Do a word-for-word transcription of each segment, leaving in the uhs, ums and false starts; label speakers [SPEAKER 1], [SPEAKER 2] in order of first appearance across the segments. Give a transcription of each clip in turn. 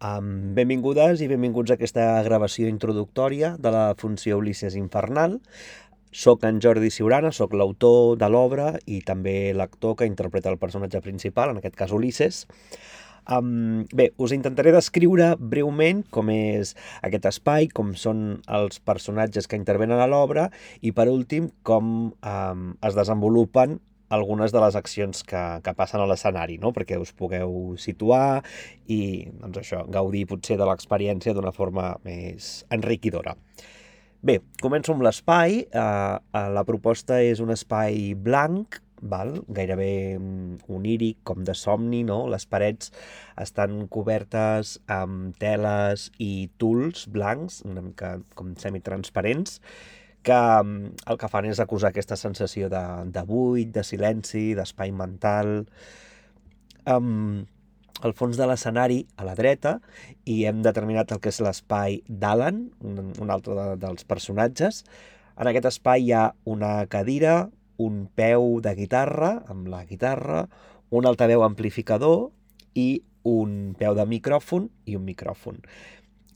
[SPEAKER 1] Um, benvingudes i benvinguts a aquesta gravació introductòria de la funció Ulisses Infernal. Soc en Jordi Siurana, soc l'autor de l'obra i també l'actor que interpreta el personatge principal, en aquest cas Ulisses. Um, bé, us intentaré descriure breument com és aquest espai, com són els personatges que intervenen a l'obra i, per últim, com um, es desenvolupen algunes de les accions que, que passen a l'escenari, no? Perquè us pugueu situar i doncs això, gaudir potser de l'experiència d'una forma més enriquidora. Bé, començo amb l'espai. Uh, uh, la proposta és un espai blanc, val? Gairebé oníric, com de somni, no? Les parets estan cobertes amb teles i tuls blancs, una mica com semitransparents, que el que fan és acusar aquesta sensació de, de buit, de silenci, d'espai mental. Um, al fons de l'escenari, a la dreta, i hem determinat el que és l'espai d'Alan, un, un altre de, dels personatges. En aquest espai hi ha una cadira, un peu de guitarra, amb la guitarra, un altaveu amplificador i un peu de micròfon i un micròfon.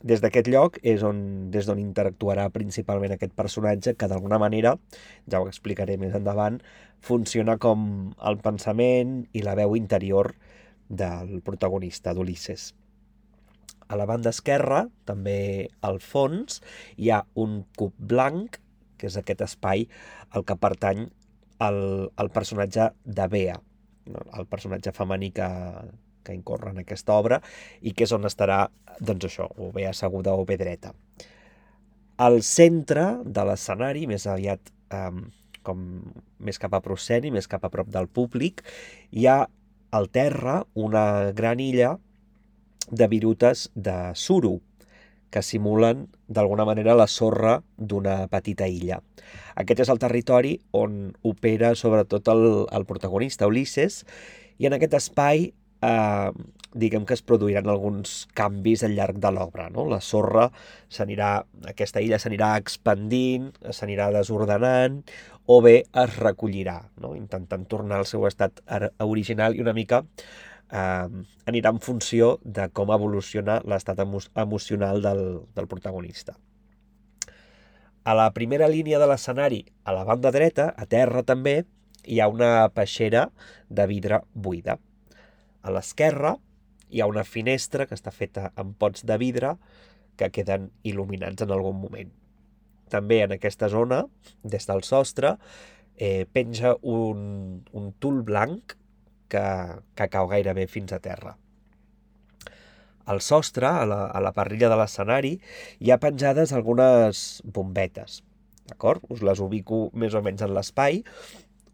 [SPEAKER 1] Des d'aquest lloc és on, des d'on interactuarà principalment aquest personatge, que d'alguna manera, ja ho explicaré més endavant, funciona com el pensament i la veu interior del protagonista, d'Ulisses. A la banda esquerra, també al fons, hi ha un cub blanc, que és aquest espai al que pertany el, el personatge de Bea, no? El personatge femení que, que incorre en aquesta obra i que és on estarà, doncs això, o bé asseguda o bé dreta. Al centre de l'escenari, més aviat eh, com més cap a prosceni, més cap a prop del públic, hi ha al terra una gran illa de virutes de suro que simulen d'alguna manera la sorra d'una petita illa. Aquest és el territori on opera sobretot el, el protagonista, Ulisses, i en aquest espai eh, diguem que es produiran alguns canvis al llarg de l'obra, no? La sorra s'anirà, aquesta illa s'anirà expandint, s'anirà desordenant, o bé es recollirà, no? Intentant tornar al seu estat original i una mica eh, anirà en funció de com evoluciona l'estat emo emocional del, del protagonista. A la primera línia de l'escenari, a la banda dreta, a terra també, hi ha una peixera de vidre buida. A l'esquerra hi ha una finestra que està feta amb pots de vidre que queden il·luminats en algun moment. També en aquesta zona, des del sostre, eh, penja un, un tul blanc que, que cau gairebé fins a terra. Al sostre, a la, a la parrilla de l'escenari, hi ha penjades algunes bombetes, d'acord? Us les ubico més o menys en l'espai.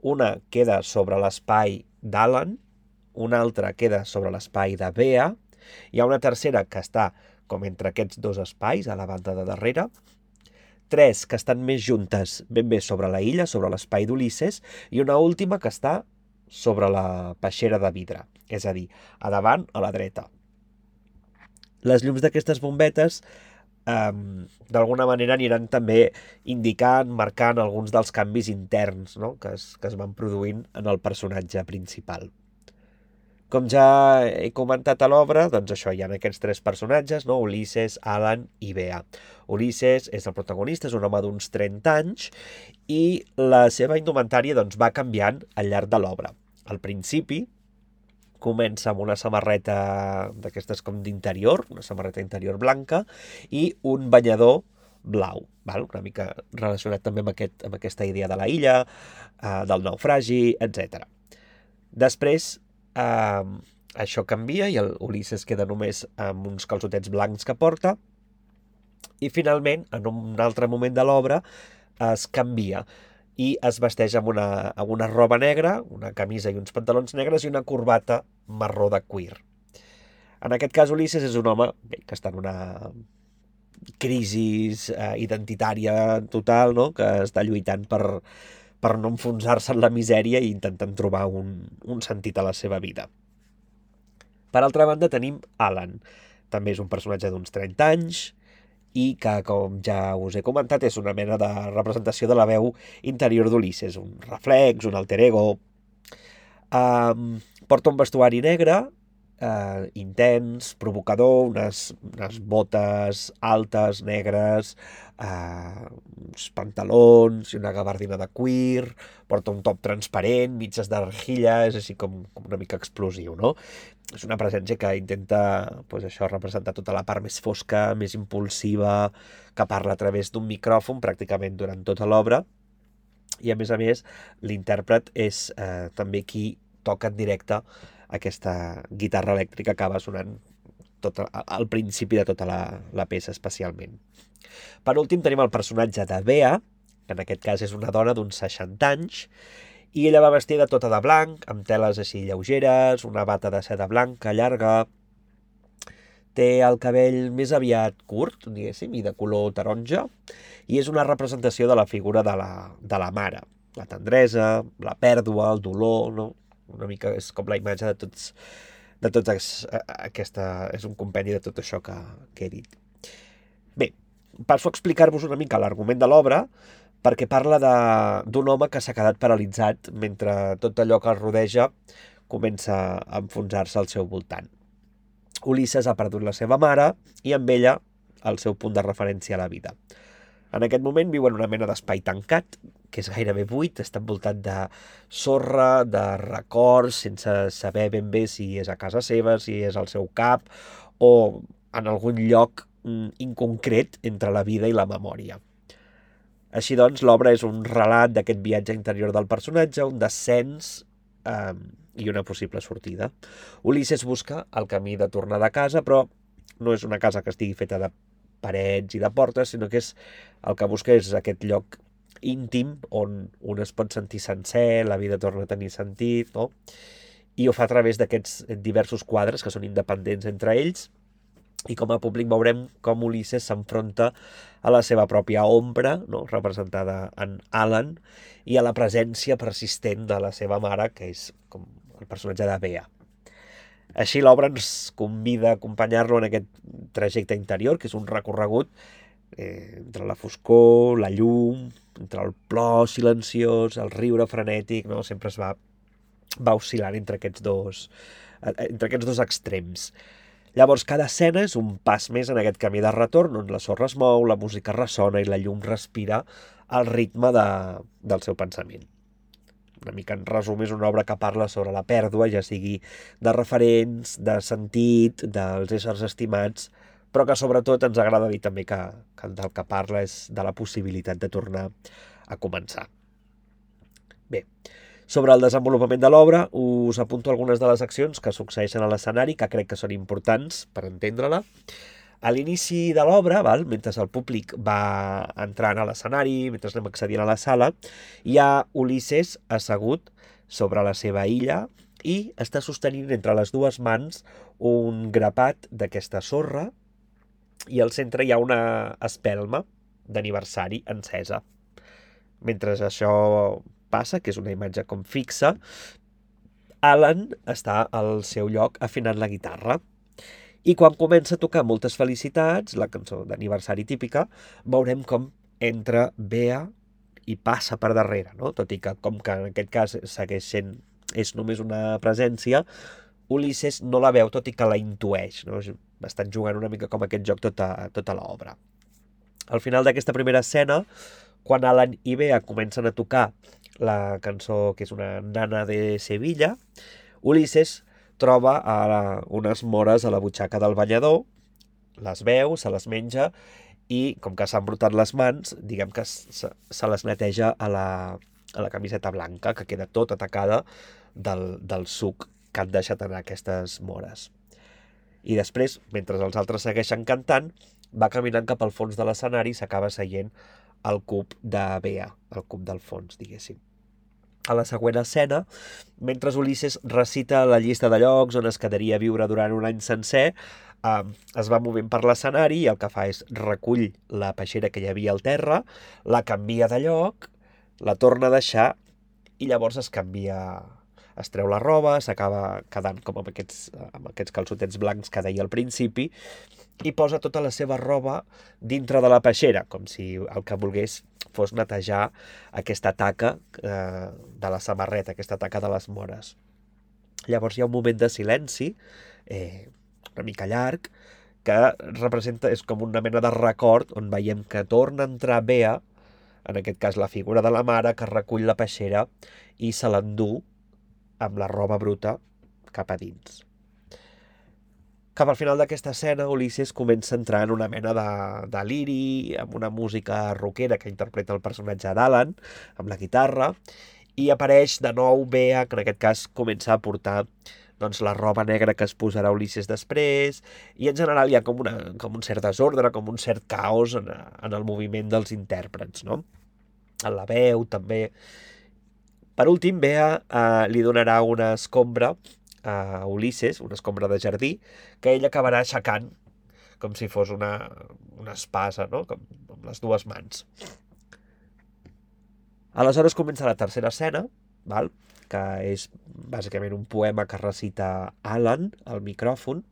[SPEAKER 1] Una queda sobre l'espai d'Alan, una altra queda sobre l'espai de Bea, hi ha una tercera que està com entre aquests dos espais, a la banda de darrere, tres que estan més juntes ben bé sobre la illa, sobre l'espai d'Ulisses, i una última que està sobre la peixera de vidre, és a dir, a davant, a la dreta. Les llums d'aquestes bombetes eh, d'alguna manera aniran també indicant, marcant alguns dels canvis interns, no? que, es, que es van produint en el personatge principal. Com ja he comentat a l'obra, doncs això, hi ha aquests tres personatges, no? Ulisses, Alan i Bea. Ulisses és el protagonista, és un home d'uns trenta anys i la seva indumentària doncs, va canviant al llarg de l'obra. Al principi comença amb una samarreta d'aquestes com d'interior, una samarreta interior blanca i un banyador blau, val? Una mica relacionat també amb, aquest, amb aquesta idea de la illa, eh, del naufragi, etcètera. Després, Uh, això canvia i el Ulisses queda només amb uns calçotets blancs que porta i finalment, en un altre moment de l'obra, es canvia i es vesteix amb una, amb una roba negra, una camisa i uns pantalons negres i una corbata marró de cuir. En aquest cas, Ulisses és un home bé, que està en una crisi uh, identitària total, no? Que està lluitant per... per no enfonsar-se en la misèria i intentant trobar un, un sentit a la seva vida. Per altra banda tenim Alan. També és un personatge d'uns trenta anys i que, com ja us he comentat, és una mena de representació de la veu interior d'Ulisses, un reflex, un alter ego. Um, porta un vestuari negre eh, intens, provocador, unes, unes botes altes, negres, eh, uns pantalons i una gabardina de cuir, porta un top transparent, mitges d'argilla, és així com, com una mica explosiu, no? És una presència que intenta pues, això representar tota la part més fosca, més impulsiva, que parla a través d'un micròfon pràcticament durant tota l'obra, i a més a més l'intèrpret és eh, també qui toca en directe aquesta guitarra elèctrica que acaba sonant tot, al principi de tota la, la peça especialment. Per últim tenim el personatge de Bea, que en aquest cas és una dona d'uns seixanta anys, i ella va vestida tota de blanc, amb teles així lleugeres, una bata de seda blanca llarga, té el cabell més aviat curt, diguéssim, i de color taronja, i és una representació de la figura de la, de la mare, la tendresa, la pèrdua, el dolor, no? Una mica és com la imatge de tots, de tots aquesta... és un compendi de tot això que, que he dit. Bé, passo a explicar-vos una mica l'argument de l'obra, perquè parla d'un home que s'ha quedat paralitzat mentre tot allò que el rodeja comença a enfonsar-se al seu voltant. Ulisses ha perdut la seva mare i amb ella el seu punt de referència a la vida. En aquest moment viu en una mena d'espai tancat, que és gairebé buit, està envoltat de sorra, de records, sense saber ben bé si és a casa seva, si és al seu cap, o en algun lloc inconcret entre la vida i la memòria. Així doncs, l'obra és un relat d'aquest viatge interior del personatge, un descens eh, i una possible sortida. Ulisses busca el camí de tornar de casa, però no és una casa que estigui feta de parets i de portes, sinó que és, el que busca és aquest lloc íntim on un es pot sentir sencer, la vida torna a tenir sentit, no? I ho fa a través d'aquests diversos quadres que són independents entre ells, i com a públic veurem com Ulisses s'enfronta a la seva pròpia ombra, no? Representada en Alan, i a la presència persistent de la seva mare, que és com el personatge de Bea. Així l'obra ens convida a acompanyar-lo en aquest trajecte interior, que és un recorregut eh, entre la foscor, la llum, entre el plor silenciós, el riure frenètic, no? Sempre es va, va oscil·lant entre aquests dos, entre aquests dos extrems. Llavors, cada escena és un pas més en aquest camí de retorn, on la sorra es mou, la música ressona i la llum respira al ritme de, del seu pensament. Una mica en resum, és una obra que parla sobre la pèrdua, ja sigui de referents, de sentit, dels éssers estimats, però que sobretot ens agrada dir també que, que del que parla és de la possibilitat de tornar a començar. Bé, sobre el desenvolupament de l'obra us apunto algunes de les accions que succeeixen a l'escenari, que crec que són importants per entendre-la. A l'inici de l'obra, mentre el públic va entrant a l'escenari, mentre anem accedint a la sala, hi ha Ulisses assegut sobre la seva illa i està sostenint entre les dues mans un grapat d'aquesta sorra i al centre hi ha una espelma d'aniversari encesa. Mentre això passa, que és una imatge com fixa, Alan està al seu lloc afinant la guitarra. I quan comença a tocar Moltes felicitats, la cançó d'aniversari típica, veurem com entra Bea i passa per darrere, no? Tot i que, com que en aquest cas segueix sent, és només una presència, Ulisses no la veu, tot i que la intueix, no? Estan jugant una mica com aquest joc tota, tota l'obra. Al final d'aquesta primera escena, quan Alan i Bea comencen a tocar la cançó que és una nana de Sevilla, Ulisses troba a unes mores a la butxaca del banyador, les veu, se les menja i, com que s'han brotat les mans, diguem que se, se les neteja a la, a la camiseta blanca, que queda tota atacada del, del suc que han deixat anar aquestes mores. I després, mentre els altres segueixen cantant, va caminant cap al fons de l'escenari i s'acaba seient al cub de Bea, al cub del fons, diguéssim. A la següent escena, mentre Ulisses recita la llista de llocs on es quedaria a viure durant un any sencer, eh, es va movent per l'escenari i el que fa és recull la peixera que hi havia al terra, la canvia de lloc, la torna a deixar i llavors es canvia, es treu la roba, s'acaba quedant com amb aquests, amb aquests calçotets blancs que deia al principi i posa tota la seva roba dintre de la peixera, com si el que volgués fos netejar aquesta taca eh, de la samarreta, aquesta taca de les mores. Llavors hi ha un moment de silenci, eh, una mica llarg, que representa, és com una mena de record on veiem que torna a entrar Bea, en aquest cas la figura de la mare, que recull la peixera i se l'endú amb la roba bruta cap a dins. Cap al final d'aquesta escena, Ulisses comença a entrar en una mena de deliri, amb una música rockera que interpreta el personatge d'Alan, amb la guitarra, i apareix de nou Bea, que en aquest cas comença a portar doncs, la roba negra que es posarà Ulisses després, i en general hi ha com, una, com un cert desordre, com un cert caos en, en el moviment dels intèrprets, no? En la veu, també. Per últim, Bea eh, li donarà una escombra a Ulisses, una escombra de jardí, que ell acabarà aixecant com si fos una, una espasa, no? Com, amb les dues mans. Aleshores comença la tercera escena, val? Que és bàsicament un poema que recita Alan al micròfon,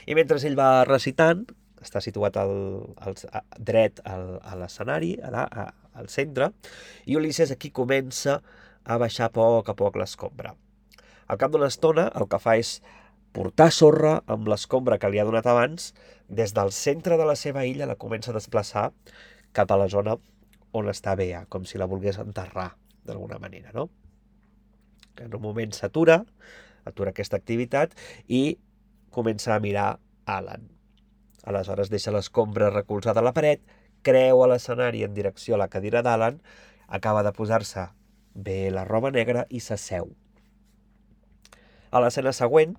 [SPEAKER 1] i mentre ell va recitant, està situat al, al, a, dret al, a l'escenari, al centre, i Ulisses aquí comença a baixar a poc a poc l'escombra. Al cap d'una estona el que fa és portar sorra amb l'escombra que li ha donat abans, des del centre de la seva illa la comença a desplaçar cap a la zona on està Bea, com si la volgués enterrar d'alguna manera, no? En un moment s'atura, atura aquesta activitat i comença a mirar Alan. Aleshores deixa l'escombra recolzada a la paret, creua l'escenari en direcció a la cadira d'Alan, acaba de posar-se bé la roba negra i s'asseu. A l'escena següent,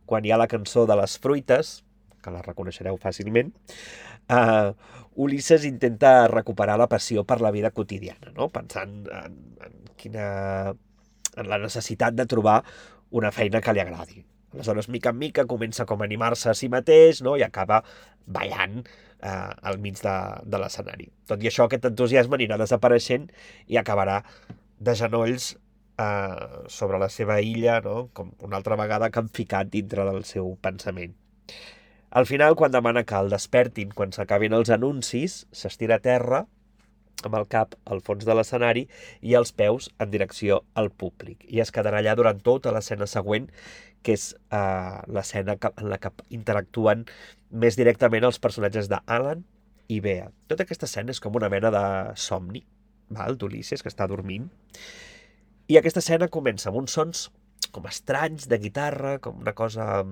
[SPEAKER 1] quan hi ha la cançó de les fruites, que la reconeixereu fàcilment, uh, Ulisses intenta recuperar la passió per la vida quotidiana, no? Pensant en, en, quina, en la necessitat de trobar una feina que li agradi. Aleshores, mica en mica, comença com a animar-se a si mateix, no? I acaba ballant eh, al mig de, de l'escenari. Tot i això, aquest entusiasme anirà desapareixent i acabarà de genolls eh, sobre la seva illa, no? Com una altra vegada camficat dintre del seu pensament. Al final, quan demana que el despertin quan s'acabin els anuncis, s'estira a terra amb el cap al fons de l'escenari i els peus en direcció al públic. I es quedarà allà durant tota l'escena següent, que és eh, l'escena en la que interactuen més directament els personatges d'Alan i Bea. Tota aquesta escena és com una mena de somni, val, d'Ulisses, que està dormint. I aquesta escena comença amb uns sons com estranys de guitarra, com una cosa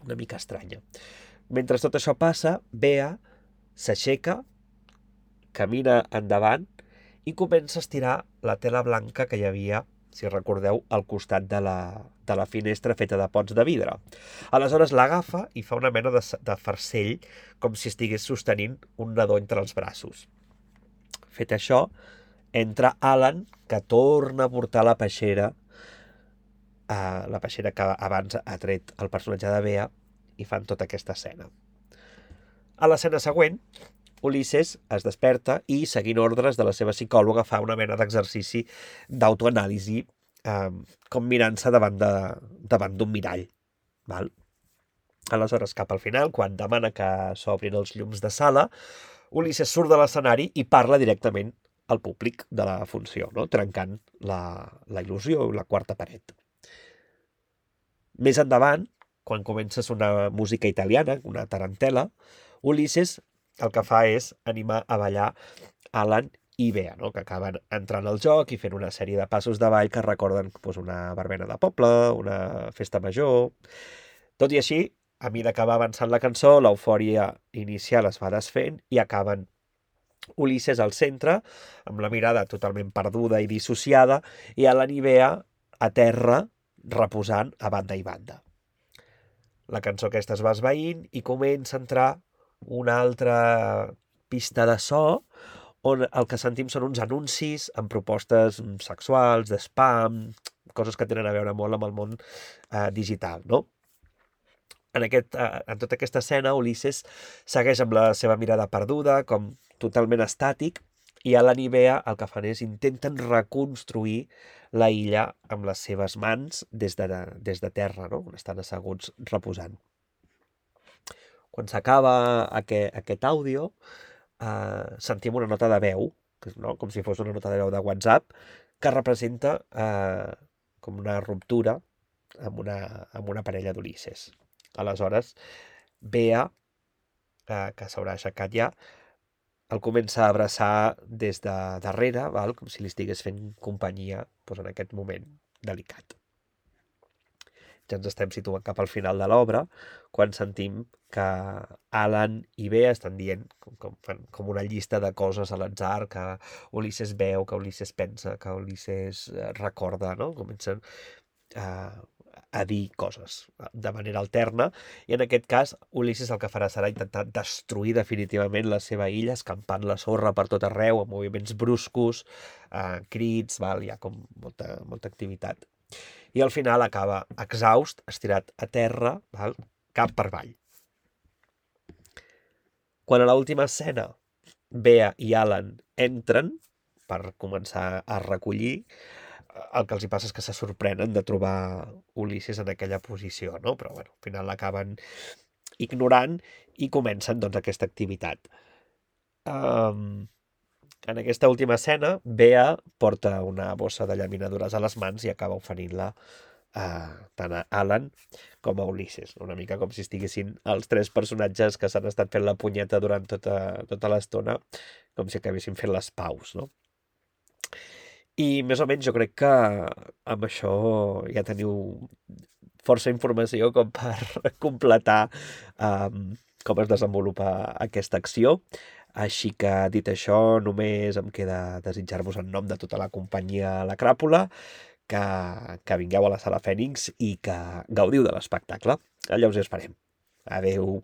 [SPEAKER 1] una mica estranya. Mentre tot això passa, Bea s'aixeca, camina endavant i comença a estirar la tela blanca que hi havia, si recordeu, al costat de la, de la finestra feta de pots de vidre. Aleshores l'agafa i fa una mena de, de farcell, com si estigués sostenint un nadó entre els braços. Fet això, entra Alan, que torna a portar la peixera, eh, la peixera que abans ha tret el personatge de Bea, i fan tota aquesta escena. A l'escena següent, Ulisses es desperta i, seguint ordres de la seva psicòloga, fa una mena d'exercici d'autoanàlisi, eh, com mirant-se davant de, davant d'un mirall. Val? Aleshores, cap al final, quan demana que s'obrin els llums de sala, Ulisses surt de l'escenari i parla directament al públic de la funció, no? Trencant la, la il·lusió i la quarta paret. Més endavant, quan comença a sonar música italiana, una tarantela, Ulisses el que fa és animar a ballar Alan i Bea, no? Que acaben entrant al joc i fent una sèrie de passos de ball que recorden doncs, una verbena de poble, una festa major. Tot i així, a mesura que va avançant la cançó, l'eufòria inicial es va desfent i acaben Ulisses al centre, amb la mirada totalment perduda i dissociada, i Alan i Bea a terra, reposant a banda i banda. La cançó aquesta es va esvaint i comença a entrar una altra pista de so on el que sentim són uns anuncis amb propostes sexuals, de spam, coses que tenen a veure molt amb el món eh, digital, no? En, aquest, eh, en tota aquesta escena, Ulisses segueix amb la seva mirada perduda, com totalment estàtic, i Alan i Bea el que fan és intenten reconstruir la illa amb les seves mans des de, des de terra, no? On estan asseguts reposant. Quan s'acaba aquest, aquest àudio, eh, sentim una nota de veu, no? Com si fos una nota de veu de WhatsApp, que representa eh, com una ruptura amb una, amb una parella d'Ulisses. Aleshores, Bea, eh, que s'haurà aixecat ja, el comença a abraçar des de darrere, val? Com si li estigués fent companyia doncs, en aquest moment delicat. Ja ens estem situant cap al final de l'obra, quan sentim que Alan i Bea estan dient com, com, fan com una llista de coses a l'atzar, que Ulisses veu, que Ulisses pensa, que Ulisses eh, recorda, no? Comencen a, a dir coses de manera alterna, i en aquest cas Ulisses el que farà serà intentar destruir definitivament la seva illa, escampant la sorra per tot arreu, amb moviments bruscos, eh, crits, val? Hi ha com molta, molta activitat. I al final acaba exhaust, estirat a terra, val? Cap per avall. Quan a l'última escena Bea i Alan entren per començar a recollir, el que els hi passa és que se sorprenen de trobar Ulisses en aquella posició, no? Però bueno, al final l'acaben ignorant i comencen doncs, aquesta activitat. Um, en aquesta última escena, Bea porta una bossa de llaminadures a les mans i acaba oferint-la uh, tant a Alan com a Ulisses. Una mica com si estiguessin els tres personatges que s'han estat fent la punyeta durant tota, tota l'estona, com si acabessin fent les paus, no? I més o menys jo crec que amb això ja teniu força informació com per completar um, com es desenvolupa aquesta acció. Així que, dit això, només em queda desitjar-vos en nom de tota la companyia La Cràpula que, que vingueu a la Sala Fènix i que gaudiu de l'espectacle. Allà us hi esperem. Adeu.